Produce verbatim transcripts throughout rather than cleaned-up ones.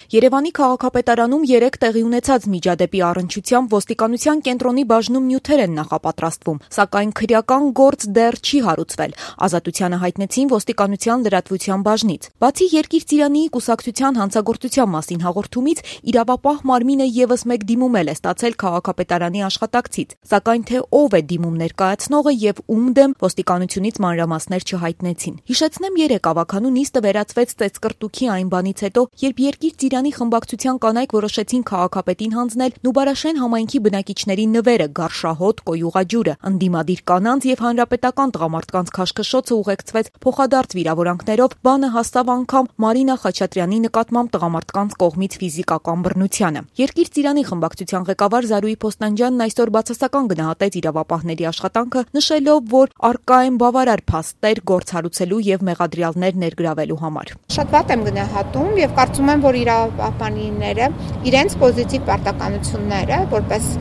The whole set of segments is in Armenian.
Երևանի քաղաքապետարանում երեկ տեղի ունեցած միջադեպի առնչությամբ ոստիկանության կենտրոնի բաժնում նյութեր են նախապատրաստվում, սակայն քրեական գործ դեռ չի հարուցվել, Ազատությանը հայտնեցին ոստիկանության լրատվության բաժնից։ Բացի Երկիր Ծիրանիի կուսակցության հանցագործության մասին հաղորդումից, իրավապահ մարմինը ևս մեկ դիմում է ստացել քաղաքապետարանի աշխատակցից, սակայն թե ով է դիմում ներկայացնողը եւ ում դեմ ոստիկանությունից մանրամասներ չհայտնեցին։ Հիշեցնեմ, երեկ ավականու նիստը վերածվեց ծեծկռտուքի այն բանից հետո, երբ Երկիր Ծիրանի խմբակցության կանայք որոշեցին քաղաքապետին հանձնել Նուբարաշեն համայնքի բնակիչների նվերը, գարշահոտ, կոյուղաջուրը, ընդդիմադիր կանանց եւ հանրապետական տղամարդկանց քաշքշոցը ուղեկցվեց փոխադարձ վիրավորանքներով, բանը հասավ անգամ Մարինա Խաչատրյանի նկատմամբ տղամարդկանց կողմից ֆիզիկական բռնությանը։ Երկիր Ծիրանի խմբակցության ղեկավար Զարուհի Փոստանջյանն այսօր բացասական գնահատեց իրավապահների աշխատանքը, նշելով, որ առկա են բավարար փաստեր գործ հարուցելու եւ մեղադրյալներ ներգրավելու համար։ Շատ վատ եմ գնահատում եւ կարծում եմ, որ իրավապահները իրենց պոզիտիվ պարտականությունները որպես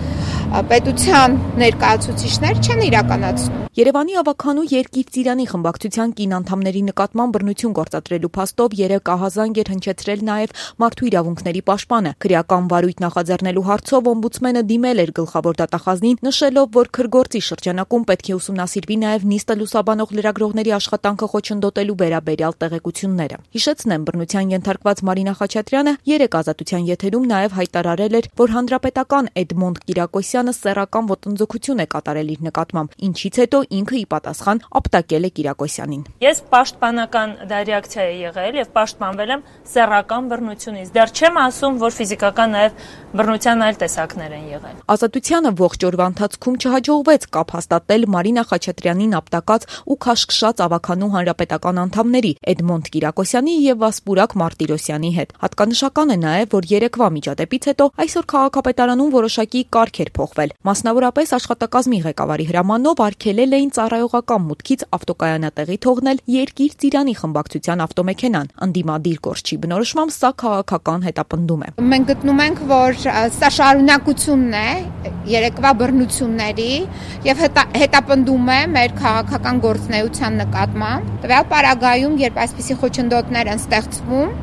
պետության ներկայացուցիչներ չեն իրականացնում։ Երևանի ավականու Երկիր Ծիրանի խմբակցության կին անդամների նկատմամբ բռնություն գործադրելու փաստով երեք ահազանգ էր հնչեցրել նաև մարդու իրավունքների պաշտպանը։ Քրեական վարույթ նախաձեռնելու հարցով օմբուդսմենը դիմել էր գլխավոր դատախազին, նշելով, որ քրգործի շրջանակում պետք է ուսումնասիրվի նաև նիստը լուսաբանող լրագրողների աշխատանքը խոչընդոտելու վերաբերյալ տեղեկությունները։ Հիշեցնեմ, բռնության ենթարկված Մարինա Խաչատրյանը երեք Ազատության եթերում նաև հայտարարել էր, որ հանրապետական Էդմոնդ Կիրակոսյանը սեռական ոտնձգություն է կատարել իր նկատմամբ, ինչից հետո ինքը ի պատասխան ապտակել է Կիրակոսյանին։ Ես պաշտպանական դա ռեակցիա է եղել եւ պաշտպանվել եմ սեռական բռնությունից։ Դեռ չեմ ասում, որ ֆիզիկական նաեւ բռնության այլ տեսակներ են եղել։ Ազատությանը ողջ օրվա ընթացքում չհաջողվեց կապ հաստատել Մարինա Խաչատրյանին ապտակած ու քաշքշած ավականու հանրապետական անդամների Էդմոնդ Կիրակոսյանի եւ Վասպուրակ Մարտիրոսյանի հետ։ Հատկանշական է նաեւ, որ երեկվա միջադեպից հետո այսօր քաղաքապետարանում որոշակի կարգ էր փոխվել։ Մասնավորապես աշխատակազմի ղեկավարի հրամանով արգելել էին ծառայողական մուտքից ավտոկայանատեղի թողնել Երկիր Ծիրանի խմբակցության ավտոմեքենան։ Ընդդիմադիր գործչի բնորոշմամբ սա քաղաքական հետապնդում է։ Մենք գտնում ենք, որ սա շարունակությունն է երեկվա բռնությունների եւ հետապնդում է մեր քաղաքական գործունեության նկատմամբ։ Տվյալ պարագայում, երբ այսպիսի խոչընդոտներ են ստեղծվում,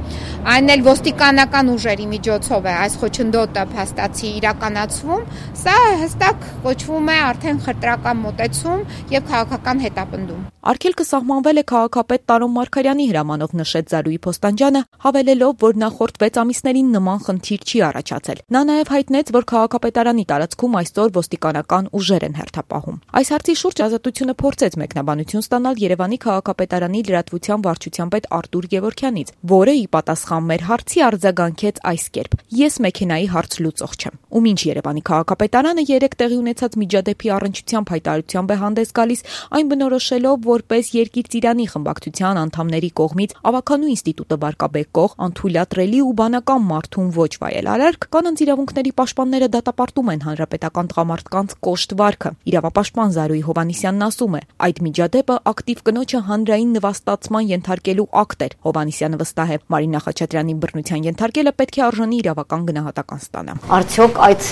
այն էլ ոստիկանական ուժերի միջոցով է այս խոչընդոտը փաստացի իրականացվում, սա հստակ կոչվում է արդեն խտրական մոտեցում եւ քաղաքական հետապնդում։ Արգելքը սահմանվել է քաղաքապետ Տարոն Մարգարյանի հրամանով, նշեց Զարուհի Փոստանջյանը, հավելելով, որ նախորդ վեց ամիսներին նման խնդիր չի առաջացել։ Նա նաև հայտնեց, որ քաղաքապետարանի տարածքում այսօր ոստիկանական ուժեր են հերթապահում։ Այս հարցի շուրջ Ազատությունը փորձեց մեկնաբանություն ստանալ Երևանի քաղաքապետարանի լրատվության վարչության պետ Արտուր Գևորգյանից, որը ի պատասխան մեր հարցի արձագանքեց այս կերպ. Ես մեքենայի հարց լուծող չեմ։ Ու մինչ Երևանի քաղաքապետարանը երեք տեղի ունեցած միջադեպի առնչությամբ հայտարարությամբ է հանդես գալիս, այն բնորոշելով որպես Երկիր Ծիրանի խմբակցության անդամների կողմից ավականու ինստիտուտը վարկաբեկող, անթույլատրելի ու բանական մարդուն ոչ վայել արարք, կանանց իրավունքների պաշտպանները դատապարտում են հանրապետական տղամարդկանց կոշտ վարքը։ Իրավապաշտպան Զարուհի Հովհաննիսյանն ասում է, այդ միջադեպը ակտիվ կնոջը հանրային նվաստացման ենթարկելու ակտ էր։ Հովհաննիսյանը վստահ է, Մարինա Խաչատրյանի բռնության ենթարկելը պետք է արժանի իրավական գնահատական ստանա։ Արդյոք այդ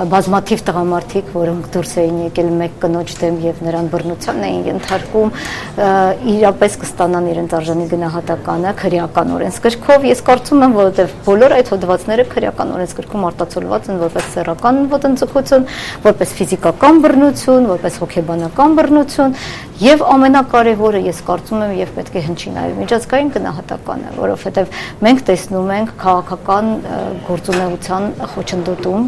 բազմաթիվ տղամարդիկ, որոնք դուրս էին եկել մեկ կնոջ դեմ եւ նրան բռնության էին ենթարկում, իրապես կստանան իրենց արժանի գնահատականը քրեական օրենսգրքով։ Ես կարծում եմ, որովհետեւ բոլոր այդ հոդվածները քրեական օրենսգրքում արտացոլված են որպես սեռական ոտնձգություն, որպես ֆիզիկական բռնություն, որպես հոգեբանական բռնություն եւ ամենակարևորը ես կարծում եմ եւ պետք է հնչի նաեւ միջազգային գնահատականը, որովհետեւ մենք տեսնում ենք քաղաքական գործունեության խոչընդոտում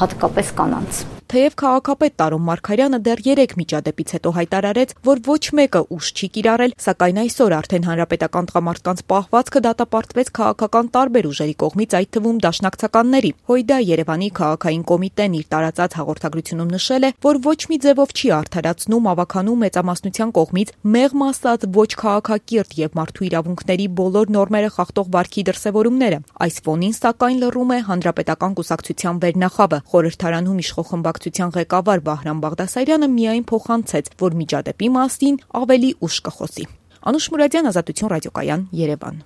հատկապես կանանց։ Թեև քաղաքապետ Տարոն Մարգարյանը դեռ երեք միջադեպից հետո հայտարարեց, որ ոչ մեկը ուժ չի կիրառել, սակայն այսօր արդեն հանրապետական տղամարդկանց պահվածքը դատապարտվեց քաղաքական տարբեր ուժերի կողմից, այդ թվում դաշնակցականների։ Հույդա Երևանի քաղաքային կոմիտեն իր տարածած հաղորդագրությունում նշել է, որ ոչ մի ձևով չի արդարացնում ավականու մեծամասնության կողմից մեղմ ասած ոչ քաղաքակիրթ եւ մարդու իրավունքների բոլոր նորմերը խախտող վարքի դրսեւորումները։ Այս ֆոնին սակայն լռում է հանրապետական կուսակցության վերնախավը, խորհրդարանում իշխող խմբակցության ղեկավար Վահրամ Բաղդասարյանը միայն փոխանցեց, որ միջադեպի մասին ավելի ուշ կխոսի։ Անուշ Մուրադյան, Ազատություն ռադիոկայան, Երևան։